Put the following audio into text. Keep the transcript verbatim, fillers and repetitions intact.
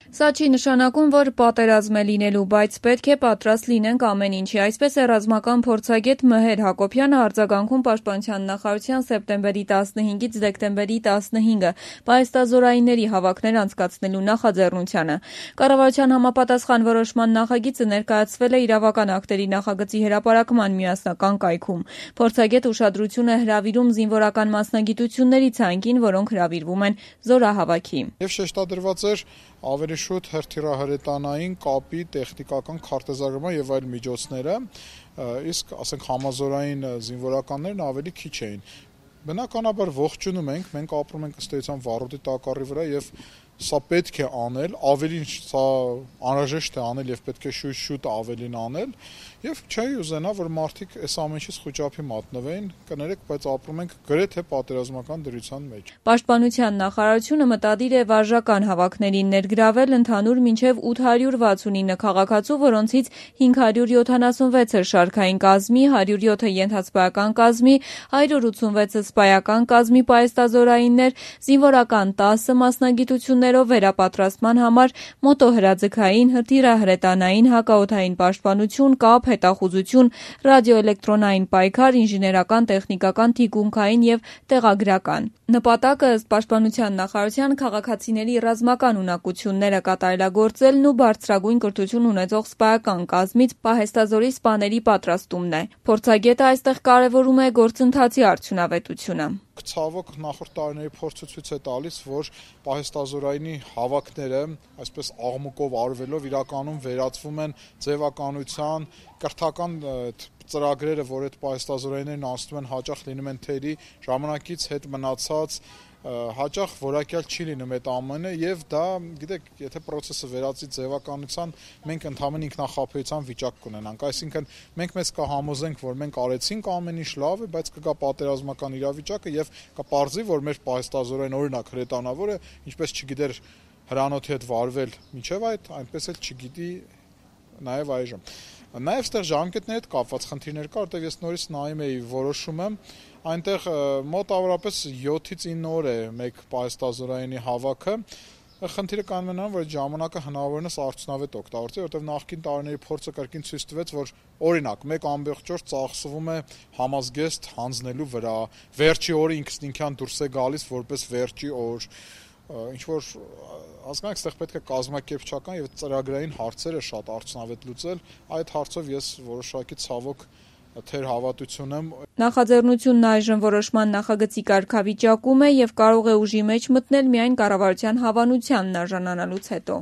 Սա չի նշանակում, որ պատերազմ է լինելու, բայց պետք է պատրաստ լինենք ամեն ինչի, այսպես է ռազմական փորձագետ Մհեր Հակոբյանը արձագանքում Պաշտպանության նախարարության սեպտեմբերի տասնհինգից դեկտեմբերի տասնհինգը պահեստազորայինների հավաքներ անցկացնելու նախաձեռնությանը։ Կառավարության համապատասխան որոշման նախագիծը ներկայացվել է իրավական ակտերի նախագծի հրապարակման միասնական կայքում։ Փորձագետ ուշադրություն է հրավիրում զինվորական մասնագիտությունների ցանկին, որոնք հրավիրվում են զորահավաքի։ Եվ շեշտադրված էր ավելի շուտ հրթիռահրետանային կապի տեխնիկական քարտեզագրման եւ այլ միջոցները, իսկ ասենք համազորային զինվորականներն ավելի քիչ էին։ Բնականաբար ողջունում ենք, մենք ապրում ենք ըստ էության վառոդի տակառի վրա եւ սա պետք է անել, ավելին սա անհրաժեշտ է անել եւ պետք է շուտ-շուտ ավելին անել եւ չի ուզենա, որ մարդիկ այս ամենից խոճապի մատնվեն, կներեք, բայց ապրում ենք գրեթե պատերազմական դրության մեջ։ Պաշտպանության նախարարությունը մտադիր է վարժական հավաքներին ներգրավել ընդհանուր մինչև ութ հարյուր վաթսունինը քաղաքացու, որոնցից հինգ հարյուր յոթանասունվեցը շարքային կազմի, հարյուր յոթը ենթասպայական կազմի, հարյուր ութսունվեցը սպայական կազմի պահեստազորայիններ, զինվորական տասը մասնագիտություններով վերապատրաստման համար, մոտոհրաձգային, հրթիռահրետանային, հակաօդային պաշտպանություն, կապ, հետախուզություն, ռադիոէլեկտրոնային պայքար, ինժեներական, տեխնիկական, թիկունքային եւ տեղագրական։ Նպատակը ըստ Պաշտպանության նախարարության քաղաքացիների ռազմական ունակությունները կատարելագործելն ու բարձրագույն կրթություն ունեցող սպայական կազմից պահեստազորի սպաների պատրաստումն է։ Փորձագետը այստեղ կարևորում է գործընթացի արդյունավետությունը։ Ցավոք նախորդ տարիների փորձը ցույց է տալիս, որ պահեստազորայինի հավաքները, այսպես աղմուկով արվելով իրականում վերածվում են ձևականության, կրթական ծրագրերը, որ այդ պահեստազորայիններն անցնում են, հաճախ լինում են թերի, ժամանակից հետ մնացած, հաճախ որակյալ չի լինում այդ ամենը եւ դա, գիտեք, եթե process-ը վերածի ձևականության, մենք ընդհանրապես ինքնախապեյության վիճակ կունենանք, այսինքն մենք մեզ կհամոզենք, որ մենք արեցինք ամեն ինչ լավ է, բայց կգա պատերազմական իրավիճակը եւ կպարզի, որ մեր պահեստազորային օրինակ հրետանավորը, ինչպես չգիտեր հրանոթի հետ վարվել մինչեւ այդ, այնպես էլ չգիտի նաեւ այժմ։ Նաեւ ստեղ ժամկետների հետ կապված խնդիրներ կա, որտեղ ես նորից նայում էի որոշումը, այնտեղ մոտավորապես յոթից ինը օր է մեկ պահեստազորայինի հավաքը։ Խնդիրը կանում է նրան, որ ժամանակը հնարավորինս արդյունավետ օգտագործել, որտեղ նախկին տարիների փորձը կրկին ցույց տվեց, որ օրինակ մեկ ամբողջ օր ծախսվում է համազգեստ հանձնելու վրա, վերջի օրը ինքն ինքյան դուրս է գալիս որպես վերջի օր, ինչ որ հասկանաք, այստեղ պետք է կազմակերպչական եւ ծրագրային հարցերը շատ արդյունավետ լուծել, այդ հարցով ես որոշակի ցավոք թերհավատություն եմ։ Նախաձեռնությունն այժմ որոշման նախագծի կարգավիճակում է եւ կարող է ուժի մեջ մտնել միայն կառավարության հավանությանն արժանանալուց հետո։